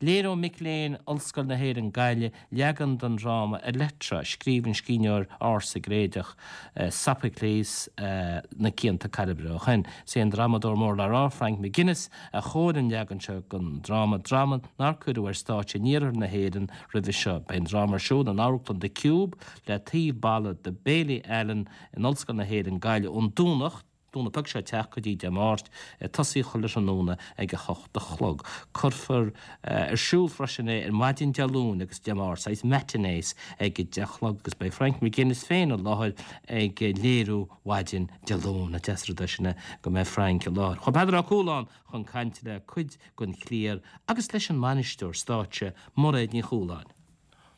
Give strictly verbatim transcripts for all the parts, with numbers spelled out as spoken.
Léireoidh mic léinn Ollscoil na hÉireann Gaillimh leagan den dráma Electra, scríobh an scríbhneoir ársa Gréagach eh, Sophocles eh, na cianta caibre ó shin. Is é an drámadóir mór le rá Frank McGuinness a chóirigh an leagan seo den dráma dráma nár cuireadh ar stáitse in iarthar na hÉireann roimhe seo. Beidh an dráma ar siúl in amharclann The Cube le taobh balla de Bailey Allen in Ollscoil na hÉireann Gaillimh ón Domhnach Domhnach beag seo ag teacht go dtí Dé Máirt tosaí chuile tráthnóna ag a hocht a chlog. Cuirfear ar siúl freisin é ar maidin Dé Luain agus Dé Máirt saghas matinees ag a deich a chlog agus beidh Frank McGuinness féin i láthair ag léiriú mhaidin Dé Luain a deas rud sinna go mbeidh Frank i láthair. Chuaigh Peadar Ó Cualáin chun caint le cuid den chliar agus leis an mbainisteoir stáitse Mairéad Ní Chualáin.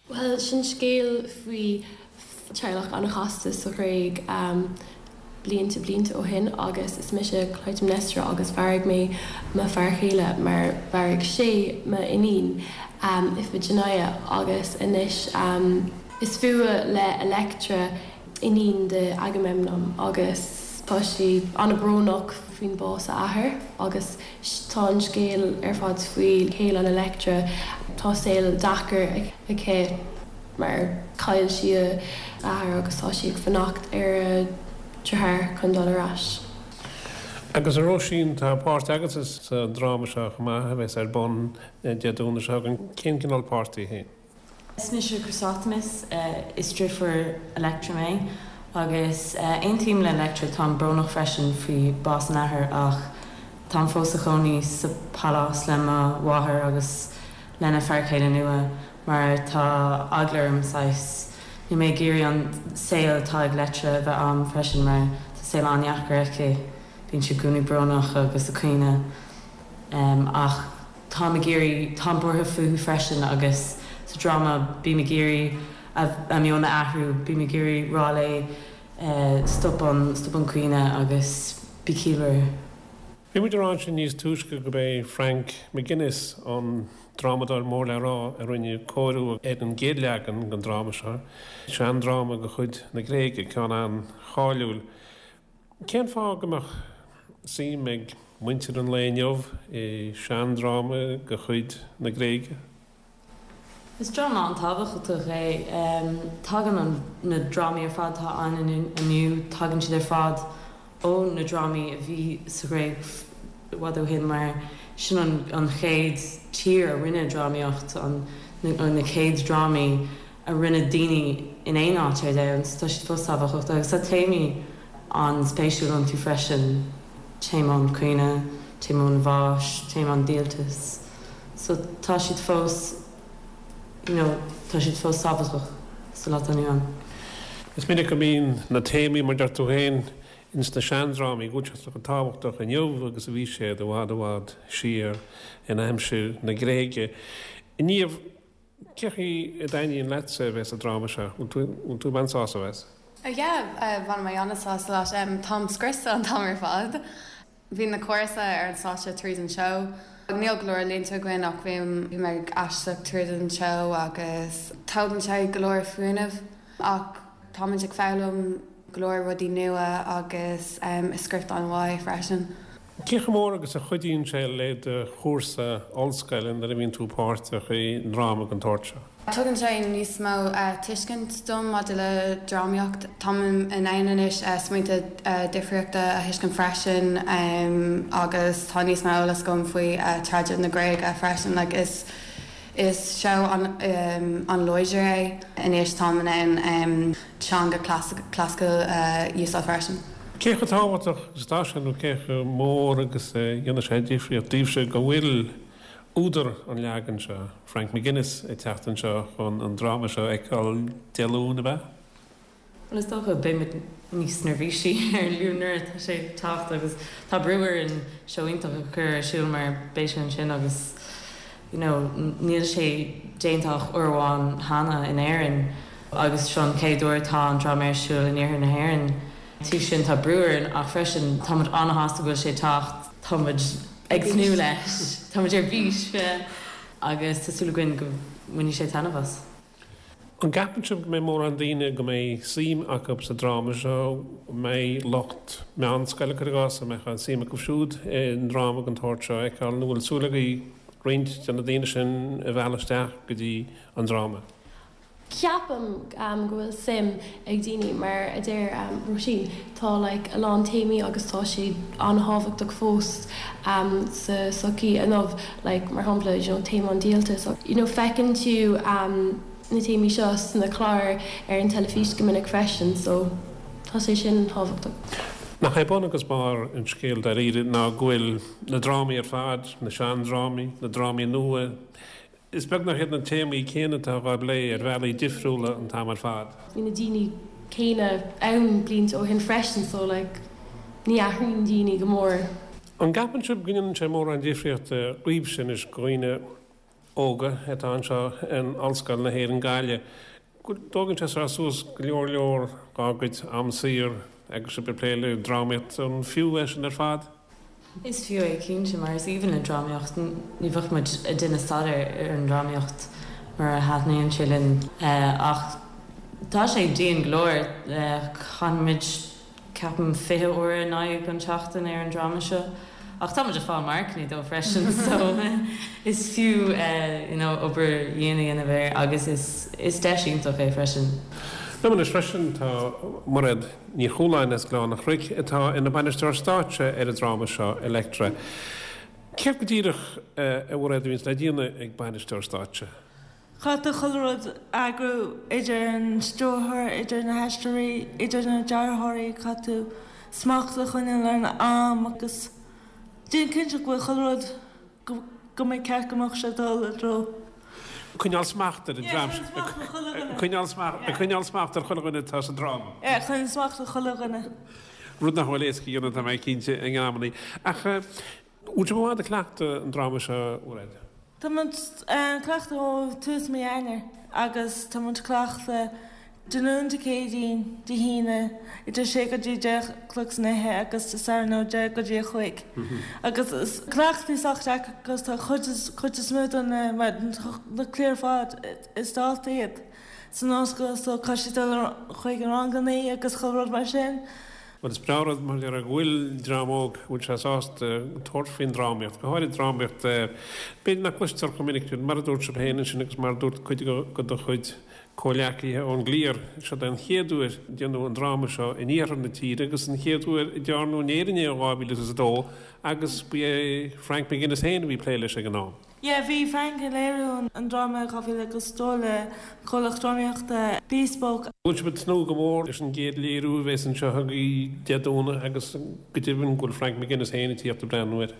Well sin scéal faoi teaghlach an-chasta sa Ghréig um, blianta blianta ó shin agus is mise Clytemnestra agus mharaigh mé mo fhear céile mar mharaigh sé m'iníon um, Iphigenia agus anois um, is fuath le Electra iníon de Agamemnon agus tá sí an-bhrónach faoin bás a athair agus tá an scéal ar fad faoi chéile an Electra tá saol deacair aici mar chaill sí a athair agus tá sí ag fanacht ar a deartháir chun dul ar ais. Agus a Róisín tá páirt agat sa dráma seo chomh maith a bheas ar bun Dé Domhnaigh seo chugainn cén cineál páirt í féin. Is mise Chrysothemis is deirfiúr Electra mé agus aontaím le Electra táim brónach freisin faoi bás an athar ach táim fós i gcónaí sa pálás le mo mháthair agus lena fear céile nua mar tá eagla orm saghas Níl mé ag iarraidh an saol atá ag Electra bheith agam freisin mar tá saol an-deacair aici bíonn sí i gcónaí brónach agus ag caoineadh um, ach táim ag iarraidh táim buartha fúithi freisin agus sa dráma bím ag iarraidh a meon a athrú bím ag iarraidh rá léi uh, stop an stop an caoineadh agus bí ciallmhar. Bhí muid ag rá ansin níos túisce gurb é Frank McGuinness an drámadóir mór le rá a rinne cóiriú ar an gcéad leagan den dráma seo, seandráma de chuid na Gréige ceann an-cháiliúil. Cén fáth go mbeadh suim ag muintir an lae inniu i seandráma de chuid na Gréige? Is dráma an-tábhachtach é tagann an na drámaí ar fad atá ann inniu tagann siad ar fad ó na drámaí a bhí sa Ghréig i bhfad ó shin mar sin an, an chéad tír a rinne drámaíocht an na, na chéad drámaí a rinne daoine in aon áit ar domhan tá siad fós tábhachtach agus tá téamaí an-spéisiúil iontu freisin téama an chaoineadh, téama an bháis, téama an díoltais. So tá siad fós you know, tá siad fós tábhachtach sa lá inniu ann. Is minic go mbíonn na téamaí mar deir tú féin ins na seandrámaí go bhfuil tábhachtach inniu agus a bhí siad i bhfad i bhfad siar in aimsir na Gréige. Inniu cé a dtaitníonn leatsa bheith sa dráma seo, bhfuil tú an-sásta leis? Yeah, bhain mé an-sásta leis um, Táim scriosta an t-am ar fad. Bhí na cúrsa ar an stáitse tríd an seó. Níl go leor línte againn ach bhí mé ag éisteacht tríd an seó agus tógann sé go leor fuinnimh ach táimid ag foghlaim go leor rudaí nua agus um, is script an-mhaith freisin. Cé chomh mór agus a chuidíonn sé le do chúrsa ollscoile nuair a bhíonn tú páirteach i ndráma den tsórt seo. Tugann sé níos mó uh, tuiscint dom maidir le drámaíocht. Táim in ann anois uh, smaointe uh, difríochta a thuiscint freisin um, agus tá níos mó eolas agam faoi uh, traidisiún na Gréige freisin like is is seó an um, an-láidir é anois táim in ann um, teanga clasaiceach uh, úsáid freisin. Cé chomh tábhachtach is atá sé nó cé chomh mór agus dhéanann sé difríocht daoibhse go bhfuil údar an leagan seo Frank McGuinness ag teacht anseo chun an dráma seo a fheiceáil Dé Luain ab ea? Well is dócha beimid níos neirbhísí ar Luan nuair tá sé ag teacht agus tá brú orainn seó iontach a chur ar siúl mar beidh sé ansin agus you know, níl sé déanta ach uair amháin cheana in Éirinn agus seo an chéad uair atá an dráma ar siúl in iarthar na hÉireann. Tú sin tá brú orainn ach freisin táimid an-sásta go bhfuil sé ag teacht táimid ag tnúth leis Táimid ar bís agus tá súil againn go mbainfidh sé taitneamh as. An gceapann sibh go mbeidh mórán daoine go mbeidh suim acu sa dráma seo mbeidh lucht meánscoile cuir i gcás a mbeidh an suim acu siúd i ndráma den tsórt seo a fheiceáil nó bhfuil súil agaibh roinnt de na daoine sin a mhealladh isteach go dtí an dráma? Ceapaim go bhfuil suim ag daoine mar a deir Róisín, tá like a lán téamaí agus tá siad an-thábhachtach fós sa sochaí inniu like mar shampla you know téama an díoltais you know feiceann tú na téamaí seo sna cláir ar an teilifís go minic freisin so tá sé sin tábhachtach. Nach é bun agus barr an scéil dáiríre ná go bhfuil na drámaí ar fad, na seandrámaí, na drámaí nua, is beag nach iad na téamaí céanna atá á bplé ar bhealaí difriúla an t-am ar fad. Bhí na daoine céanna ann blianta ó shin freisin so like ní athraíonn daoine go mór. An gceapann sibh go ndéanann sé mórán difríochta dhaoibhse anois, dhaoine óga atá anseo in Ollscoil na hÉireann Gaillimh, go dtógann sé seo suas go leor leor dá gcuid am saor agus sibh ag plé le drámaíocht, an fiú é sin ar fad? Is fiú é cinnte mar is aoibhinn linn drámaíocht, ní bheadh muid ag déanamh staidéar ar an drámaíocht mura thaitníonn sé linn ach tá sé dian go leor, caitheann muid ceapaim fiche uair in aghaidh an tseachtain ar an dráma seo ach tá muid ag fáil marcanna dó freisin so is fiú you know obair dhian a dhéanamh air agus is is deis iontach é freisin. Liom anois freisin tá Mairéad Ní Chualáin as Gleann an Chnoic atá ina bainisteoir stáitse ar an dráma seo Electra. Céard go díreach a Mhairéad a bhíonns le déanamh ag bainisteoir stáitse? Caithfidh tú chuile rud a eagrú, idir an stiúrthóir, idir na haisteoirí, idir na dearthóirí, caithfidh tú smacht a choinneáil ar an am agus déan cinnte go bhfuil chuile rud go mbeidh ceart go mbeadh sé ag dul i dtreo. Coinneáil smacht ar an dream. Coinneáil smacht, coinneáil smacht ar chuile dhuine atá sa dráma. Yeah, coinneáil smacht ar chuile dhuine. Rud nach bhfuil éasca a dhéanamh tá mé cinnte in amannaí. Ach bhfuil sibh i bhfad ag cleachtadh an dráma seo, a Mhairéad? Tá muid ag cleachtadh ó tús mí Eanáir agus tá muid ag cleachtadh Dé Luain, Dé Céadaoin, Dé hAoine idir sé go dtí deich a chlog san oíche agus Dé Sathairn ó deich go dtí a cúig. Agus is cleachtaí sách deacair agus tá cuid cuid is mó de na na cliar ar fad is daltaí iad san ollscoil so caithfidh siad dul chuig na rangannaí agus chuile rud mar sin. Bhuel, is breá rud mar go bhfuil dream óg a bhfuil sé sásta tabhairt faoin drámaíocht, go háirid drámaíocht b'fhéidir nach gcloistear chomh minic sin, mar a dúirt sibh féin ansin agus mar a dúirt cuid de do chuid comhghleacaithe ón gcliar, seo é an chéad uair a déanadh an dráma seo in iarthar na tíre agus an chéad uair a dearnadh in Éirinn é in dhá mhíle is a dó agus ba é Frank McGuinness féin a bhí ag plé leis ag an am. Yeah, bhí Frank ag léiriú an dráma i dhá mhíle agus dó le comhlacht drámaíochta Bespoke. Bhfuil sibh ag tnúth go mór leis an gcéad léiriú a bheas anseo agaibh Dé Domhnaigh agus go deimhin go bhfuil Frank McGuinness féin ag tíocht ag breathnú air?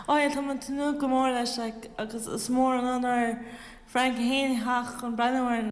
Oh yeah, tá muid ag tnúth go mór leis like agus is mór an onóir Frank féin a theacht chun breathnú air.